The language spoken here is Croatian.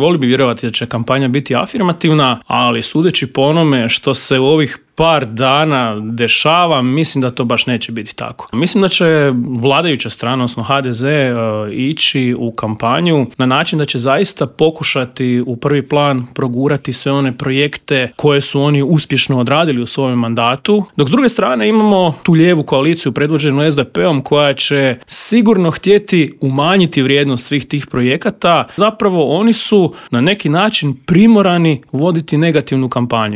Volio bi vjerovati da će kampanja biti afirmativna, ali sudeći po onome što se u ovih par dana dešava, mislim da to baš neće biti tako. Mislim da će vladajuća strana, odnosno HDZ, ići u kampanju na način da će zaista pokušati u prvi plan progurati sve one projekte koje su oni uspješno odradili u svojem mandatu, dok s druge strane imamo tu lijevu koaliciju predvođenu SDP-om koja će sigurno htjeti umanjiti vrijednost svih tih projekata. Zapravo oni su na neki način primorani voditi negativnu kampanju.